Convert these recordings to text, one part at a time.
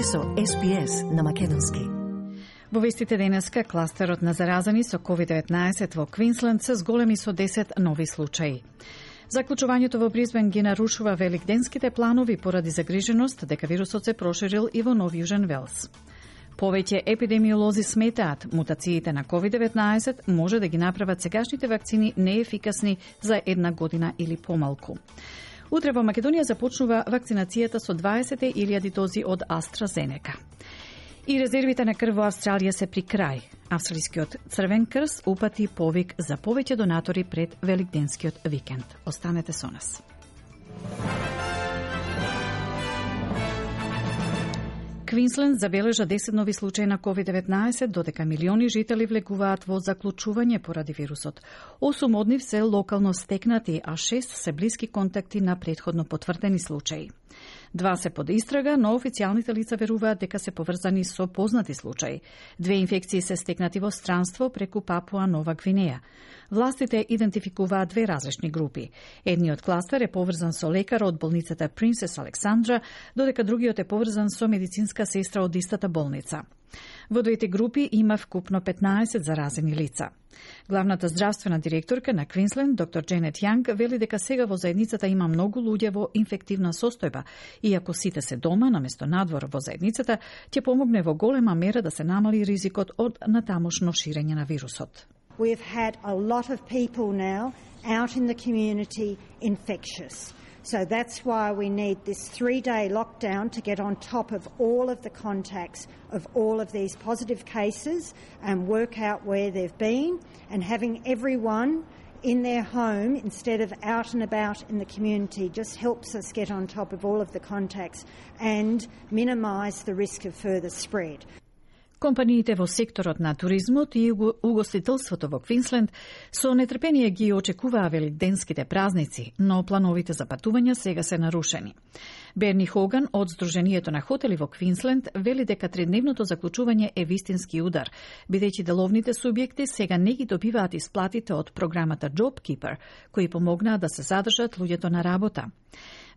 Сте со SPS на македонски. Во вестите денеска, кластерот на заразени со COVID-19 во Квинсленд се зголеми со 10 нови случаи. Заклучувањето во Брисбен ги нарушува великденските планови поради загриженост дека вирусот се проширил и во Нов Јужен Велс. Повеќе епидемиолози сметаат мутациите на COVID-19 може да ги направат сегашните вакцини неефикасни за една година или помалку. Утре во Македонија започнува вакцинацијата со 20.000 дози од AstraZeneca. И резервите на крв во Австралија се при крај. Австралискиот Црвен крст упати повик за повеќе донатори пред великденскиот викенд. Останете со нас. Квинсленд забележа 10 нови случаи на COVID-19, додека милиони жители влегуваат во заклучување поради вирусот. 8 од нив се локално стекнати, а 6 се блиски контакти на претходно потврдени случаи. 2 се под истрага, но официјалните лица веруваат дека се поврзани со познати случаи. 2 инфекции се стекнати во странство преку Папуа Нова Гвинеја. Властите идентификуваат 2 различни групи. Едниот кластер е поврзан со лекар од болницата Принцес Александра, додека другиот е поврзан со медицинска сестра од истата болница. Во двете групи има вкупно 15 заразени лица. Главната здравствена директорка на Квинсленд, доктор Дженет Јанг, вели дека сега во заедницата има многу луѓе во инфективна состојба и ако сите се дома наместо надвор во заедницата, ќе помогне во голема мера да се намали ризикот од натамошно ширење на вирусот. We've had a lot of people now out in the community infectious. So that's why we need this 3-day lockdown to get on top of all of the contacts of all of these positive cases and work out where they've been, and having everyone in their home instead of out and about in the community just helps us get on top of all of the contacts and minimise the risk of further spread. Компаниите во секторот на туризмот и угостителството во Квинсленд со нетрпение ги очекуваа великденските празници, но плановите за патувања сега се нарушени. Берни Хоган од Сдруженијето на хотели во Квинсленд вели дека тридневното заклучување е вистински удар, бидејќи деловните субјекти сега не ги добиваат исплатите од програмата JobKeeper, кои помогнаа да се задржат луѓето на работа.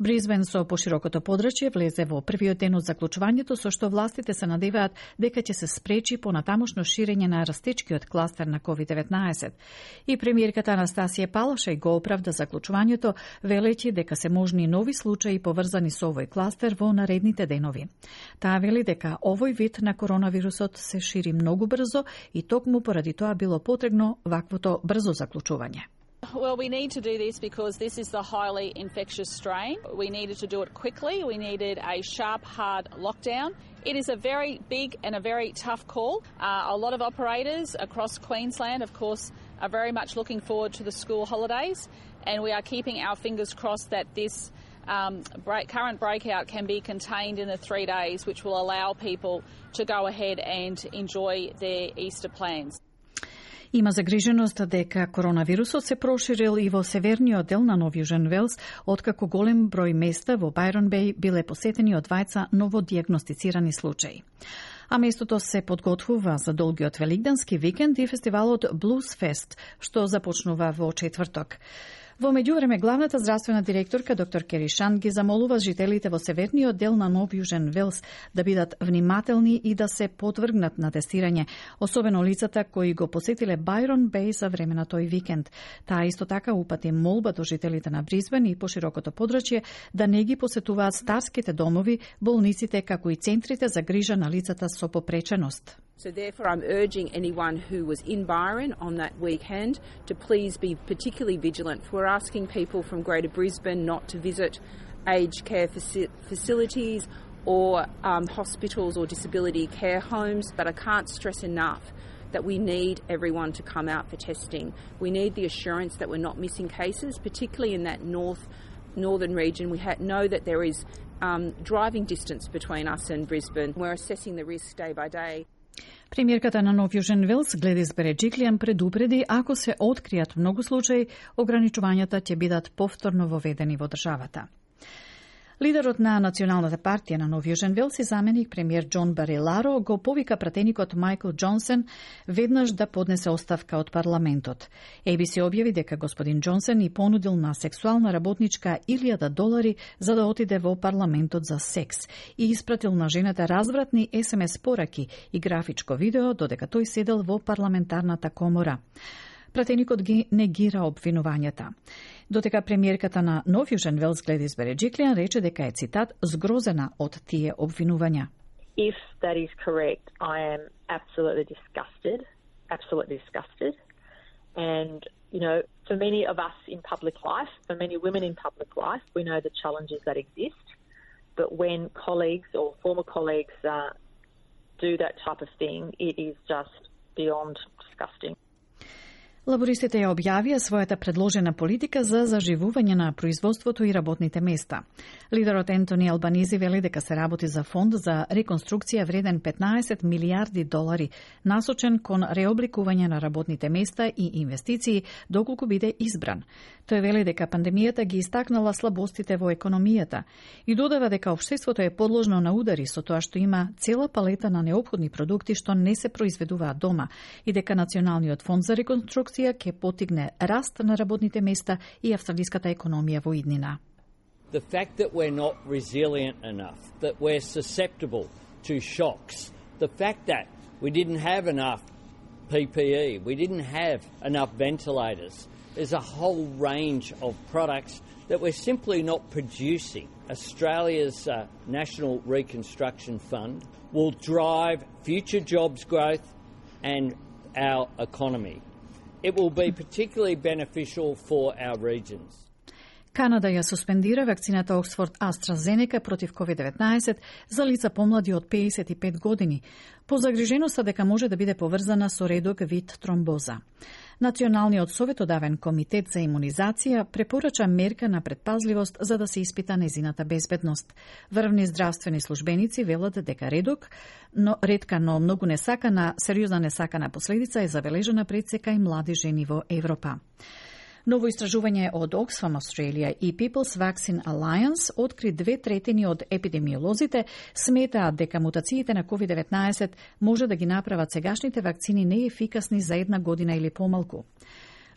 Брисбен со поширокото подрачје влезе во првиот ден од заклучувањето, со што властите се надеваат дека ќе се спречи понатамошно ширење на растечкиот кластер на COVID-19. И премиерката Анастасија Палашај го оправда заклучувањето, велејќи дека се можни нови случаи поврзани со овој кластер во наредните денови. Таа вели дека овој вид на коронавирусот се шири многу брзо и токму поради тоа било потребно ваквото брзо заклучување. Well, we need to do this because this is the highly infectious strain. We needed to do it quickly. We needed a sharp, hard lockdown. It is a very big and a very tough call. A lot of operators across Queensland, of course, are very much looking forward to the school holidays, and we are keeping our fingers crossed that this current breakout can be contained in the 3 days, which will allow people to go ahead and enjoy their Easter plans. Има загриженост дека коронавирусот се проширил и во северниот дел на Нов Јужен Велс, откако голем број места во Байрон Беј биле посетени од 2 новодијагностицирани случаи. А местото се подготвува за долгиот великденски викенд и фестивалот Blues Fest, што започнува во четврток. Во меѓувреме, главната здравствена директорка доктор Кери Шан ги замолува жителите во северниот дел на Нов Јужен Велс да бидат внимателни и да се подвргнат на тестирање, особено лицата кои го посетиле Байрон Беј за време на тој викенд. Таа исто така упати молба до жителите на Брисбен и поширокото подрачје да не ги посетуваат старските домови, болниците, како и центрите за грижа на лицата со попреченост. So therefore I'm urging anyone who was in Byron on that weekend to please be particularly vigilant. We're asking people from Greater Brisbane not to visit aged care facilities or hospitals or disability care homes, but I can't stress enough that we need everyone to come out for testing. We need the assurance that we're not missing cases, particularly in that northern region. We know that there is driving distance between us and Brisbane. We're assessing the risk day by day. Премиерката на Нов Јужен Велс, Гледис Береджиклијан, предупреди ако се откријат многу случаи, ограничувањата ќе бидат повторно воведени во државата. Лидерот на Националната партија на Нов Јужен Велс и заменик премиер Џон Бариларо го повика пратеникот Мајкл Џонсон веднаш да поднесе оставка од парламентот. ABC објави дека господин Џонсон и понудил на сексуална работничка $1,000 за да отиде во парламентот за секс и испратил на жената развратни SMS пораки и графичко видео додека тој седел во парламентарната комора. Пратеникот ги негира обвинувањата. Дотека премиерката на Нов Јужен Велс Гледис Береџиклијан рече дека е, цитат, згрозена од тие обвинувања. If that is correct, I am absolutely disgusted. And, you know, for many of us in public life, for many women in public life, we know the challenges that exist. But when colleagues or former colleagues do that type of thing, it is just beyond disgusting. Лабористите ја објавија својата предложена политика за заживување на производството и работните места. Лидерот Ентони Албанизи вели дека се работи за фонд за реконструкција вреден $15 милијарди, насочен кон реобликување на работните места и инвестиции доколку биде избран. Тој вели дека пандемијата ги истакнала слабостите во економијата и додава дека општеството е подложно на удари со тоа што има цела палета на неопходни продукти што не се произведуваат дома и дека Националниот фонд за реконструкција ќе потигне раст на работните места и австралиската економија во иднина. The fact that we're not resilient enough, that we're susceptible to shocks, the fact that we didn't have enough PPE, we didn't have enough ventilators, there's a whole range of products that we're simply not producing. Australia's National Reconstruction Fund will drive future jobs growth and our economy. It will be particularly beneficial for our regions. Канада ја суспендира вакцината Оксфорд AstraZeneca против COVID-19 за лица помлади од 55 години, по загриженоста дека може да биде поврзана со редок вид тромбоза. Националниот советодавен комитет за имунизација препорача мерка на предпазливост за да се испита незината безбедност. Врвни здравствени службеници велат дека ретка, но многу сериозна несакана последица е забележана пред сека и млади жени во Европа. Ново истражување од Oxfam Australia и People's Vaccine Alliance откри 2/3 од епидемиолозите сметаат дека мутациите на COVID-19 може да ги направат сегашните вакцини неефикасни за 1 година или помалку.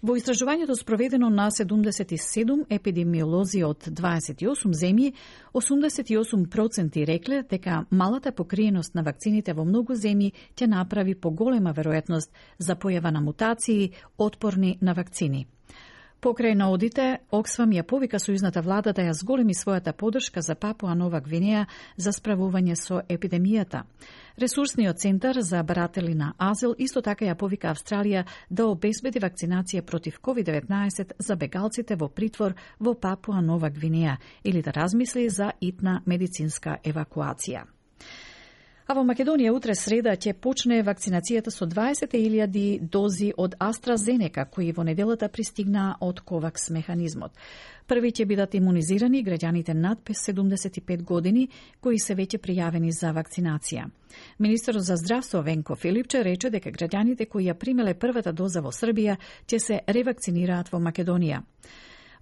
Во истражувањето спроведено на 77 епидемиолози од 28 земји, 88% рекле дека малата покриеност на вакцините во многу земји ќе направи поголема веројатност за појава на мутации отпорни на вакцини. Покрај наодите, Оксфам ја повика сојузната влада да ја зголеми својата поддршка за Папуа Нова Гвинеја за справување со епидемијата. Ресурсниот центар за баратели на азил исто така ја повика Австралија да обезбеди вакцинација против COVID-19 за бегалците во притвор во Папуа Нова Гвинеја или да размисли за итна медицинска евакуација. А во Македонија утре среда ќе почне вакцинацијата со 20.000 дози од AstraZeneca, кои во неделата пристигнаа од COVAX механизмот. Први ќе бидат имунизирани граѓаните над 75 години, кои се веќе пријавени за вакцинација. Министерот за здравство Венко Филипче рече дека граѓаните кои ја примеле првата доза во Србија ќе се ревакцинираат во Македонија.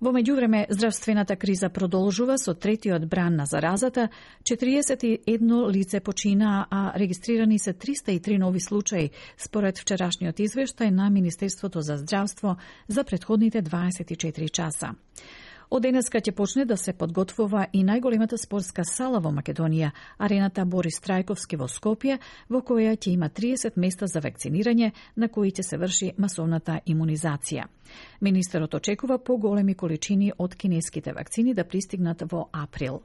Во меѓувреме, здравствената криза продолжува со третиот бран на заразата, 41 лице почина, а регистрирани се 303 нови случаи, според вчерашниот извештај на Министерството за здравство за претходните 24 часа. Од денеска ќе почне да се подготвува и најголемата спортска сала во Македонија, арената Борис Трајковски во Скопје, во која ќе има 30 места за вакцинирање, на кои ќе се врши масовната имунизација. Министерот очекува поголеми количини од кинеските вакцини да пристигнат во април.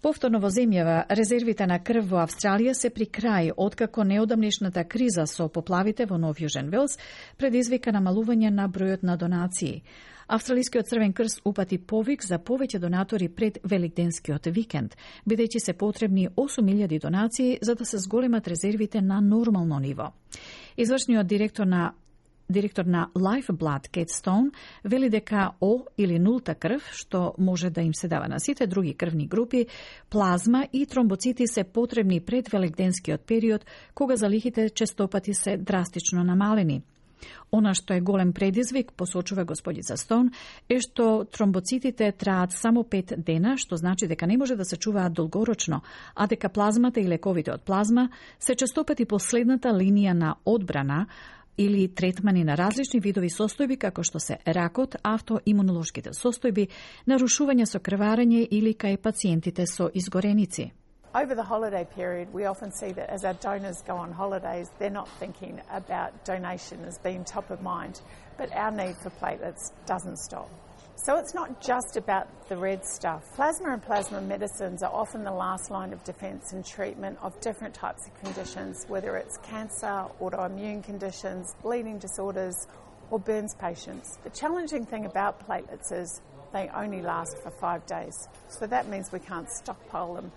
Повторно во земјава, резервите на крв во Австралија се при крај, откако неодамнешната криза со поплавите во Нов Јужен Велс предизвика намалување на бројот на донации. Австралискиот Црвен крст упати повик за повеќе донатори пред Великденскиот викенд, бидејќи се потребни 8.000 донации за да се зголемат резервите на нормално ниво. Извршниот директор на Lifeblood Kate Stone вели дека О или нулта крв, што може да им се дава на сите други крвни групи, плазма и тромбоцити се потребни пред великденскиот период, кога залихите честопати се драстично намалени. Она што е голем предизвик, посочува господица Стоун, е што тромбоцитите траат само 5 дена, што значи дека не може да се чуваат долгорочно, а дека плазмата и лековите од плазма се честопати последната линија на одбрана или третмани на различни видови состојби, како што се ракот, автоимунолошките состојби, нарушување со крварење или кај пациентите со изгореници. Over the holiday period, we often see that as our donors go on holidays, they're not thinking about donation as being top of mind, but our need for platelets doesn't stop. So it's not just about the red stuff. Plasma and plasma medicines are often the last line of defence in treatment of different types of conditions, whether it's cancer, autoimmune conditions, bleeding disorders, or burns patients. The challenging thing about platelets is they only last for 5 days. So that means we can't stockpile them.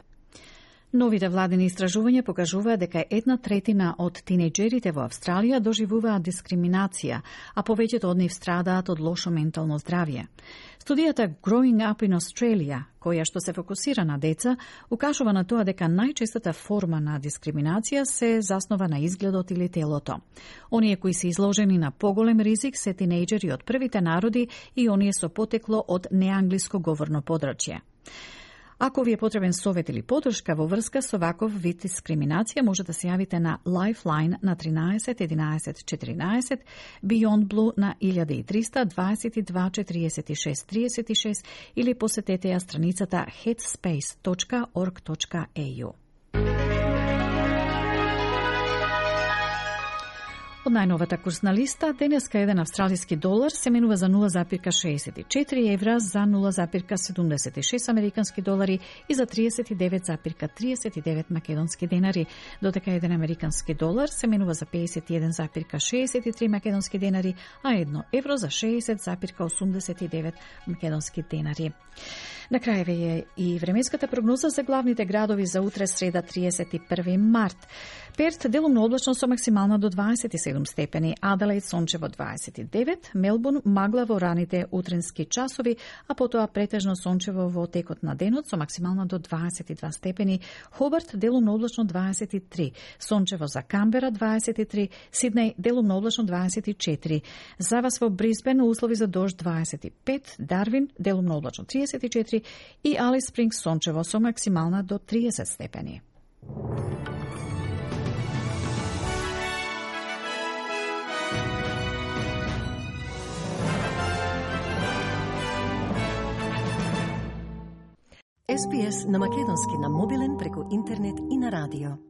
Новите владини истражувања покажуваат дека 1/3 од тинејџерите во Австралија доживуваат дискриминација, а повеќето од нив страдаат од лошо ментално здравје. Студијата Growing Up in Australia, која што се фокусира на деца, укажува на тоа дека најчестата форма на дискриминација се заснова на изгледот или телото. Оние кои се изложени на поголем ризик се тинејџери од првите народи и оние со потекло од неанглиско говорно подрачје. Ако ви е потребен совет или подршка во врска со ваков вид дискриминација, може да се јавите на Lifeline на 13 11 14, Beyond Blue на 1300 22 46 36 или посетете ја страницата headspace.org.au. Од најновата курсна листа, денеска еден австралиски долар се менува за 0,64 евра, за 0,76 американски долари и за 39,39 македонски денари, додека еден американски долар се менува за 51,63 македонски денари, а 1 евро за 60,89 македонски денари. На крај е и временската прогноза за главните градови за утре среда 31 март. Перт делумно облачно со максимална до 27 степени, Аделаид сончево 29, Мелбурн магла во раните утренски часови, а потоа претежно сончево во текот на денот со максимална до 22 степени, Хобарт делумно облачно 23, сончево за Камбера 23, Сиднеј делумно облачно 24, за вас во Брисбен услови за дожд 25, Дарвин делумно облачно 34 и Алис Спрингс сончево со максимална до 30 степени. SPS на македонски на мобилен преку интернет и на радио.